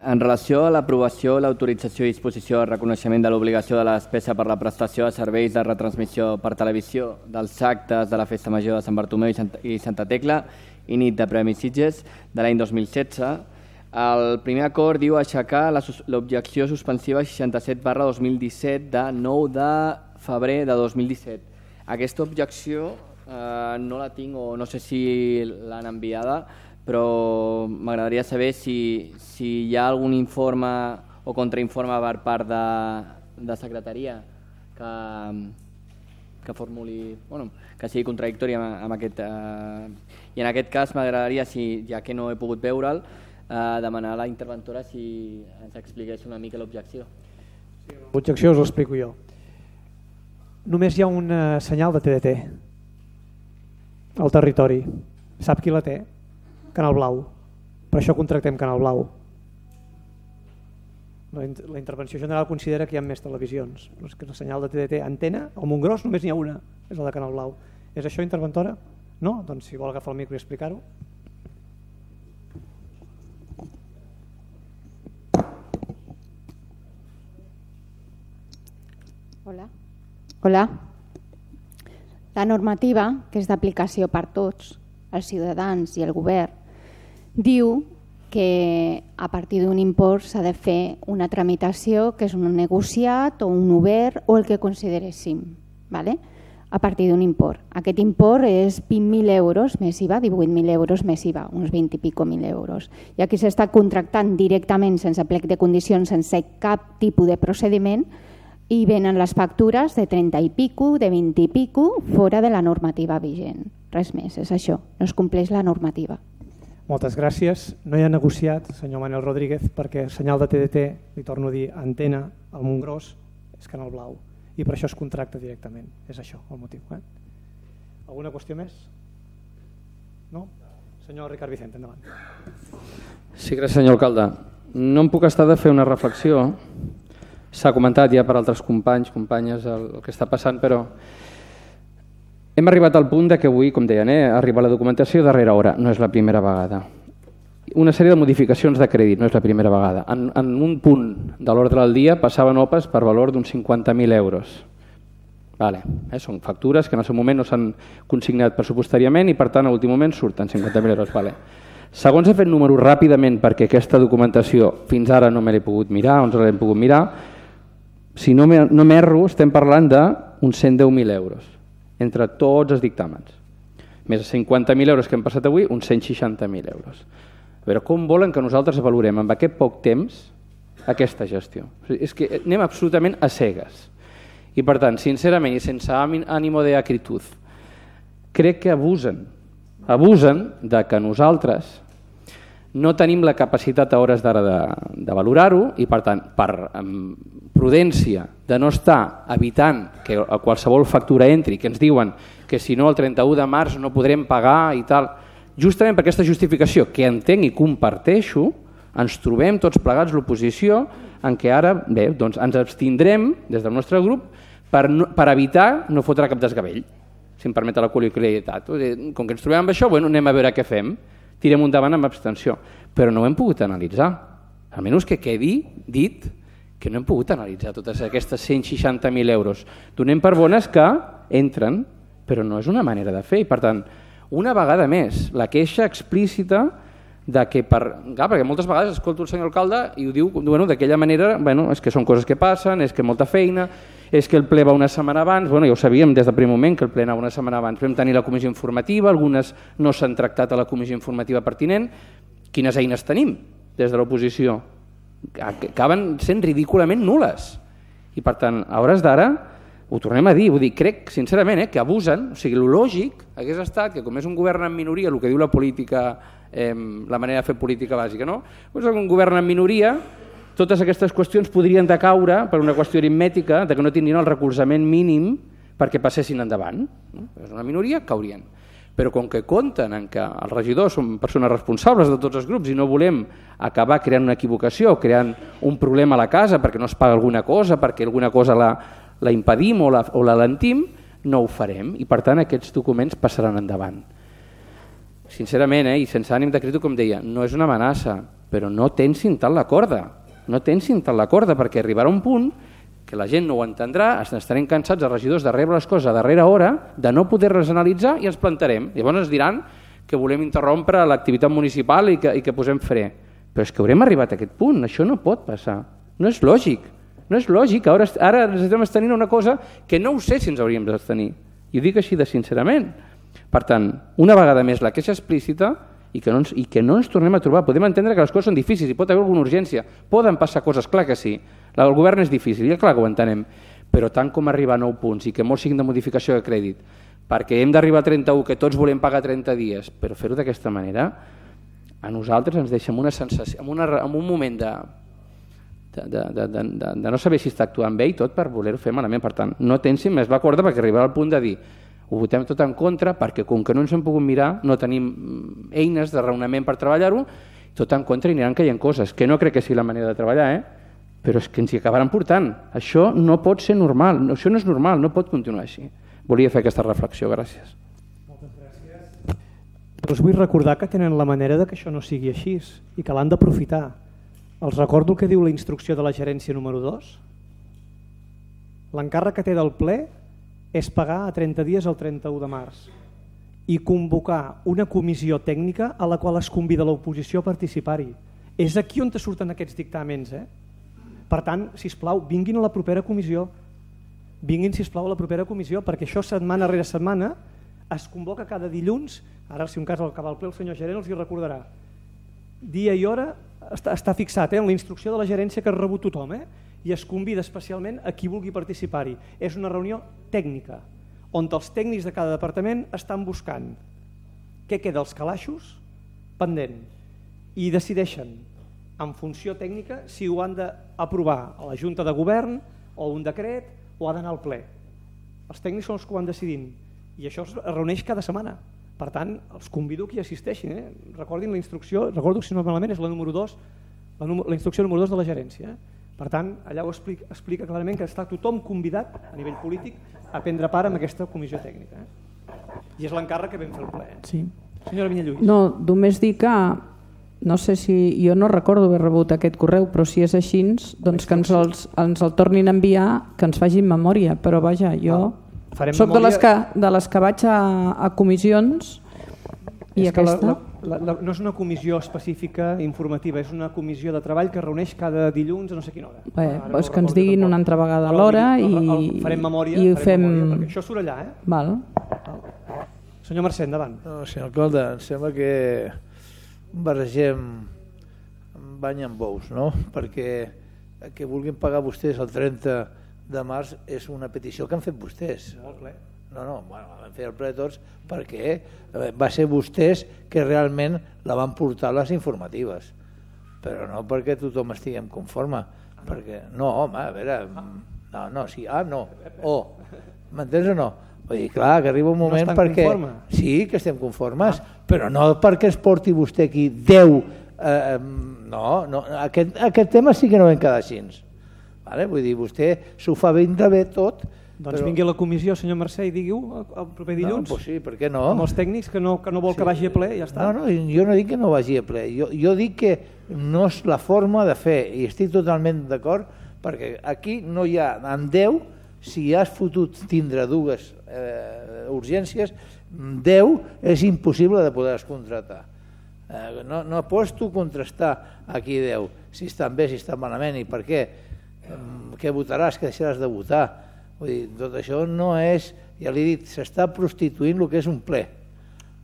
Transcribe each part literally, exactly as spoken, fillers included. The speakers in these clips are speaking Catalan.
En relació a l'aprovació, l'autorització i disposició del reconeixement de l'obligació de la despesa per la prestació de serveis de retransmissió per televisió dels actes de la Festa Major de Sant Bartomeu i Santa, i Santa Tecla i nit de Premis Sitges de l'any dos mil setze, el primer acord diu aixecar l'objecció suspensiva seixanta-set barra dos mil disset de nou de febrer de dos mil disset. Aquesta objecció eh, no la tinc o no sé si l'han enviada, però m'agradaria saber si, si hi ha algun informe o contrainforme per part de, de secretaria que, que formuli, bueno, que sigui contradictori amb, amb aquest... Eh, I en aquest cas m'agradaria, si, ja que no he pogut veure'l, eh, demanar a la interventora si ens expliqués una mica l'objecció. Sí, l'objecció us l'explico jo. Només hi ha un senyal de T D T al territori. Sap qui la té? Canal Blau. Per això contractem Canal Blau. La intervenció general considera que hi ha més televisions. Però és que el senyal de T D T antena, al Montgròs només n'hi ha una, és la de Canal Blau. És això, interventora? No? Doncs si vol agafar el micro i explicar-ho. Hola. Hola. La normativa, que és d'aplicació per tots, els ciutadans i el govern, diu que a partir d'un import s'ha de fer una tramitació que és un negociat o un obert o el que consideréssim, ¿vale? A partir d'un import. Aquest import és vint mil euros més I V A, divuit mil euros més I V A, uns vint i pico mil euros. I aquí s'està contractant directament sense plec de condicions, sense cap tipus de procediment, i venen les factures de trenta i pico, de vint i pico, fora de la normativa vigent. Res més, és això, no es compleix la normativa. Moltes gràcies. No hi ha negociat, senyor Manuel Rodríguez, perquè el senyal de T D T, li torno a dir, antena al Montgròs, és Canal Blau, i per això es contracta directament. És això el motiu. Eh? Alguna qüestió més? No? Senyor Ricard Vicente, endavant. Sí, gràcies, senyor alcalde. No em puc estar de fer una reflexió. S'ha comentat ja per altres companys, companyes, el, el que està passant, però hem arribat al punt de que avui, com deien, eh, arriba la documentació darrere hora. No és la primera vegada. Una sèrie de modificacions de crèdit, no és la primera vegada. En, en un punt de l'ordre del dia passaven O P As per valor d'uns cinquanta mil euros. Vale. Eh, són factures que en el seu moment no s'han consignat pressupostàriament i per tant a l'últim moment surten cinquanta mil euros. Vale. Segons he fet números ràpidament perquè aquesta documentació fins ara no me l'he pogut mirar, on l'hem pogut mirar, si no m'erro, estem parlant d'uns cent deu mil euros entre tots els dictàmens. Més de cinquanta mil euros que hem passat avui, uns cent seixanta mil euros. A veure, com volen que nosaltres valorem amb aquest poc temps aquesta gestió? És que anem absolutament a cegues. I per tant, sincerament i sense ànimo de acritud, crec que abusen, abusen de que nosaltres no tenim la capacitat a hores d'ara de, de valorar-ho i per tant, per um, prudència de no estar evitant que a qualsevol factura entri, que ens diuen que si no el trenta-u de març no podrem pagar i tal, justament per aquesta justificació que entenc i comparteixo, ens trobem tots plegats l'oposició en què ara bé, doncs ens abstindrem des del nostre grup per, no, per evitar no fotre cap desgavell, si em permet la col·loquialitat. Com que ens trobem amb això, bueno, anem a veure què fem. Tirem endavant amb abstenció, però no ho hem pogut analitzar. Almenys que quedi dit que no hem pogut analitzar totes aquestes cent seixanta mil euros. Donem per bones que entren, però no és una manera de fer. I per tant, una vegada més, la queixa explícita de que per... Clar, perquè moltes vegades escolto el senyor alcalde i ho diu bueno, d'aquella manera, bueno, és que són coses que passen, és que molta feina, és que el ple va una setmana abans, bueno, ja ho sabíem des del primer moment que el ple anava una setmana abans, vam tenir la comissió informativa, algunes no s'han tractat a la comissió informativa pertinent. Quines eines tenim des de l'oposició? Acaben sent ridículament nules. I per tant, a hores d'ara, ho tornem a dir, vull dir, crec sincerament eh, que abusen, o sigui, el lògic hagués estat que com és un govern en minoria, el que diu la política, eh, la manera de fer política bàsica, no? Doncs un govern en minoria, totes aquestes qüestions podrien decaure per una qüestió aritmètica de que no tindrien el recolzament mínim perquè passessin endavant. És una minoria, caurien. Però com que compten en que els regidors són persones responsables de tots els grups i no volem acabar creant una equivocació, creant un problema a la casa perquè no es paga alguna cosa, perquè alguna cosa la, la impedim o la, o la lentim, no ho farem i per tant aquests documents passaran endavant. sincerament, eh, i sense ànim de crític, com deia, no és una amenaça, però no tensin tant la corda, no tensin tant la corda, perquè arribarà un punt que la gent no ho entendrà, estarem cansats els regidors de rebre les coses a darrera hora, de no poder-les analitzar i ens plantarem. Llavors ens diran que volem interrompre l'activitat municipal i que, i que posem fre. Però és que haurem arribat a aquest punt, això no pot passar, no és lògic, no és lògic, ara, ara necessitem tenir una cosa que no ho sé si ens hauríem de tenir, i ho dic així de sincerament. Per tant, una vegada més la queixa explícita i que, no ens, i que no ens tornem a trobar. Podem entendre que les coses són difícils i pot haver alguna urgència, poden passar coses, clar que sí, el govern és difícil, i clar que ho entenem, però tant com arribar a nou punts i que molts siguin de modificació de crèdit, perquè hem d'arribar a trenta-u, que tots volem pagar trenta dies, però fer-ho d'aquesta manera, a nosaltres ens deixa en, una sensació, en, una, en un moment de, de, de, de, de, de, de no saber si està actuant bé i tot per voler-ho fer malament. Per tant, no tensin més la corda perquè arribarà al punt de dir ho votem tot en contra perquè com que no ens hem pogut mirar, no tenim eines de raonament per treballar-ho, tot en contra i aniran caient coses, que no crec que sigui la manera de treballar, eh? Però és que ens hi acabaran portant. Això no pot ser normal, això no és normal, no pot continuar així. Volia fer aquesta reflexió, gràcies. Moltes gràcies. Us vull recordar que tenen la manera de que això no sigui així i que l'han d'aprofitar. Els recordo el que diu la instrucció de la gerència número dos. L'encàrrec que té del ple és pagar a trenta dies el trenta-u de març i convocar una comissió tècnica a la qual es convida l'oposició a participar-hi. És aquí on te surten aquests dictàmens. Eh? Per tant, sisplau, vinguin a la propera comissió. Vinguin, sisplau, a la propera comissió, perquè això setmana rere setmana es convoca cada dilluns. Ara, si un cas al acabar el ple, el senyor gerent els hi recordarà. Dia i hora està, està fixat eh, en la instrucció de la gerència que ha rebut tothom, eh? I es convida especialment a qui vulgui participar-hi. És una reunió tècnica, on els tècnics de cada departament estan buscant què queda als calaixos pendent i decideixen en funció tècnica si ho han d'aprovar a la Junta de Govern o un decret o ha d'anar al ple. Els tècnics són els que ho van decidint i això es reuneix cada setmana. Per tant, els convido que hi assisteixin. Eh? Recordin la instrucció, recordo si no malament és la número dos, la, la instrucció número dos de la gerència. Eh? Per tant, allà ho explica, explica clarament que està tothom convidat a nivell polític a prendre part en aquesta comissió tècnica. Eh? I és l'encàrrec que vam fer el ple. Eh? Sí. Senyora Vinyalluís. No, només dir que no sé si, jo no recordo haver rebut aquest correu, però si és així, doncs que ens, els, ens el tornin a enviar, que ens facin memòria, però vaja, jo ah, soc de les, que, de les que vaig a, a comissions i aquesta... La, la, la, no és una comissió específica informativa, és una comissió de treball que reuneix cada dilluns a no sé quina hora. Bé, doncs que ens diguin una altra vegada a l'hora i, farem memòria, i ho farem fem... memòria, perquè això surt allà. Eh? Val. Senyor Mercè, endavant. No, senyor alcalde, em sembla que barregem bany amb bous, no? Perquè que vulguin pagar vostès el trenta de març és una petició que han fet vostès. Molt ple. No, no, bueno, vam fer el ple tots perquè va ser vostès que realment la van portar les informatives, però no perquè tothom estiguem conforme, perquè no, home, a veure, no, no, sí, ah, no, o, m'entens o no? Vull dir, clar, que arriba un moment no perquè... Conforme. Sí, que estem conformes, ah. però no perquè es porti vostè aquí deu... Eh, no, no aquest, aquest tema sí que no vam quedar així. Vale? Vull dir, vostè s'ho fa ben de bé tot. Doncs però... vingui a la comissió, senyor Mercè, i digui-ho el proper dilluns. No, pues sí, per què no? Amb els tècnics que no, que no vol sí. que vagi a ple, ja està. No, no, jo no dic que no vagi a ple, jo, jo dic que no és la forma de fer, i estic totalment d'acord, perquè aquí no hi ha, en deu, si has fotut tindre dues eh, urgències, deu és impossible de poder-les contractar. Eh, no, no pots tu contrastar aquí deu, si estan bé, si estan malament, i per què? Eh, què votaràs, que deixaràs de votar? Vull dir, tot això no és, ja l'he dit, s'està prostituint el que és un ple,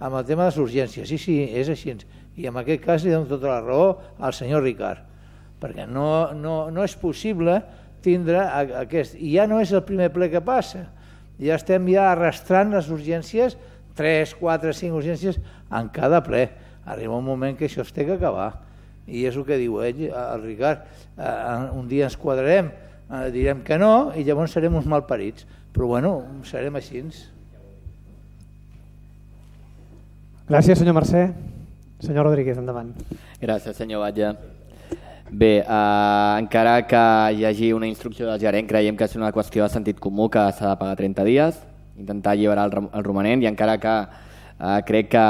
amb el tema de les urgències, sí, sí, és així, i en aquest cas li dono tota la raó al senyor Ricard, perquè no, no, no és possible tindre aquest, i ja no és el primer ple que passa, ja estem ja arrastrant les urgències, tres, quatre, cinc urgències en cada ple, arriba un moment que això es té que acabar, i és el que diu ell, el Ricard, un dia ens quadrarem, Eh, direm que no i llavors serem uns malparits, però bueno, serem així. Gràcies, senyor Mercè. Senyor Rodríguez, endavant. Gràcies, senyor Batlle. Bé, eh, encara que hi hagi una instrucció del gerent, creiem que és una qüestió de sentit comú que s'ha de pagar trenta dies, intentar alliberar el, el romanent, i encara que Uh, crec que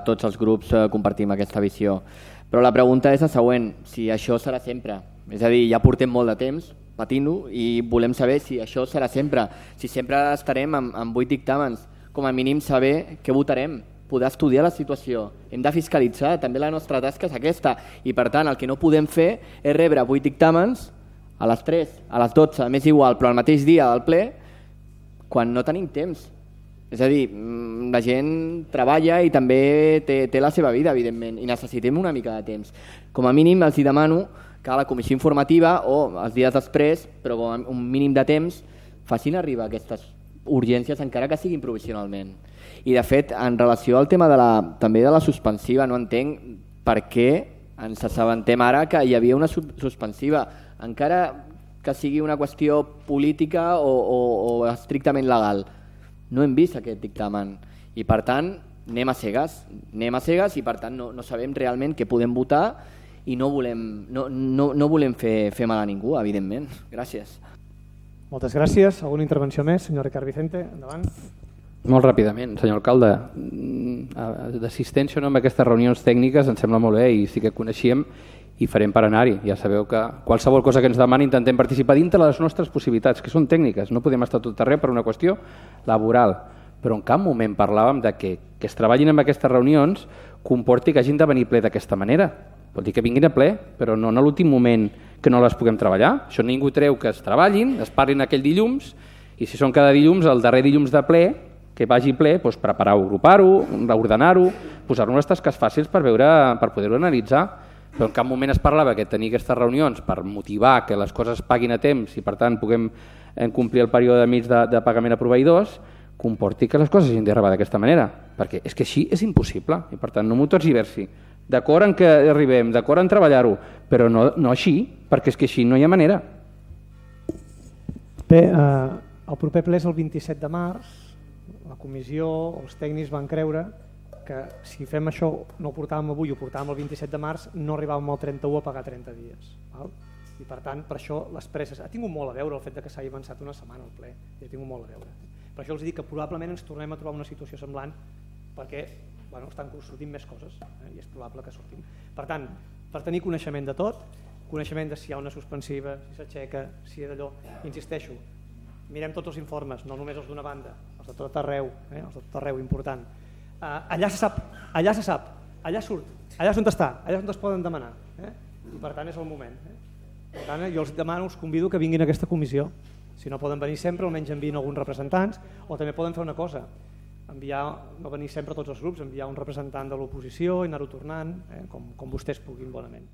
tots els grups uh, compartim aquesta visió. Però la pregunta és la següent, si això serà sempre. És a dir, ja portem molt de temps patint-ho i volem saber si això serà sempre. Si sempre estarem amb, amb vuit dictàmens, com a mínim saber què votarem, poder estudiar la situació. Hem de fiscalitzar, també la nostra tasca és aquesta. I per tant, el que no podem fer és rebre vuit dictàmens a les tres, a les dotze, m'és igual, però al mateix dia del ple, quan no tenim temps. És a dir, la gent treballa i també té, té la seva vida, evidentment, i necessitem una mica de temps. Com a mínim els demano que a la comissió informativa o els dies després, però com un mínim de temps, facin arribar aquestes urgències, encara que siguin provisionalment. I de fet, en relació al tema de la, també de la suspensiva, no entenc per què ens assabentem ara que hi havia una suspensiva, encara que sigui una qüestió política o, o, o estrictament legal. No hem vist aquest dictamen i per tant anem a cegues, anem a cegues i per tant no, no sabem realment què podem votar i no volem, no, no, no volem fer, fer mal a ningú, evidentment. Gràcies. Moltes gràcies. Alguna intervenció més? Senyor Ricard Vicente, endavant. Molt ràpidament, senyor alcalde. D'assistència o no en aquestes reunions tècniques em sembla molt bé i sí que coneixíem i farem per anar-hi. Ja sabeu que qualsevol cosa que ens demani intentem participar dintre les nostres possibilitats, que són tècniques. No podem estar tot arreu per una qüestió laboral, però en cap moment parlàvem de que, que es treballin en aquestes reunions comporti que hagin de venir ple d'aquesta manera. Vol dir que vinguin a ple, però no en l'últim moment que no les puguem treballar. Això ningú treu que es treballin, es parlin aquell dilluns, i si són cada dilluns, el darrer dilluns de ple, que vagi ple, doncs preparar-ho, agrupar-ho, reordenar-ho, posar-ho unes tasques fàcils per, veure, per poder-ho analitzar. Però en cap moment es parlava que tenir aquestes reunions per motivar que les coses paguin a temps i per tant puguem complir el període mig de, de pagament a proveïdors comporti que les coses hagin d'arribar d'aquesta manera, perquè és que així és impossible i per tant no m'ho tergiversi. D'acord en que arribem, d'acord en treballar-ho, però no, no així, perquè és que així no hi ha manera. Bé, eh, el proper ple és el vint-i-set de març, la comissió, els tècnics van creure que si fem això, no ho portàvem avui, ho portàvem el vint-i-set de març, no arribàvem al trenta-u a pagar trenta dies. Val? I per tant, per això les presses... Ha tingut molt a veure el fet que s'hagi avançat una setmana al ple, i ha tingut molt a veure. Per això els dic que probablement ens tornem a trobar una situació semblant perquè bueno, estan sortint més coses eh? I és probable que sortim. Per tant, per tenir coneixement de tot, coneixement de si hi ha una suspensiva, si s'aixeca, si és d'allò, insisteixo, mirem tots els informes, no només els d'una banda, els de tot arreu, eh? Els de tot arreu, important. Uh, allà se sap, allà se sap, allà surt, allà és on està, allà és on es poden demanar, eh? I per tant és el moment. Eh? Per tant, jo els demano, els convido que vinguin a aquesta comissió. Si no poden venir sempre, almenys enviïn alguns representants, o també poden fer una cosa, enviar, no venir sempre tots els grups, enviar un representant de l'oposició i anar-ho tornant, eh? com, com vostès puguin bonament.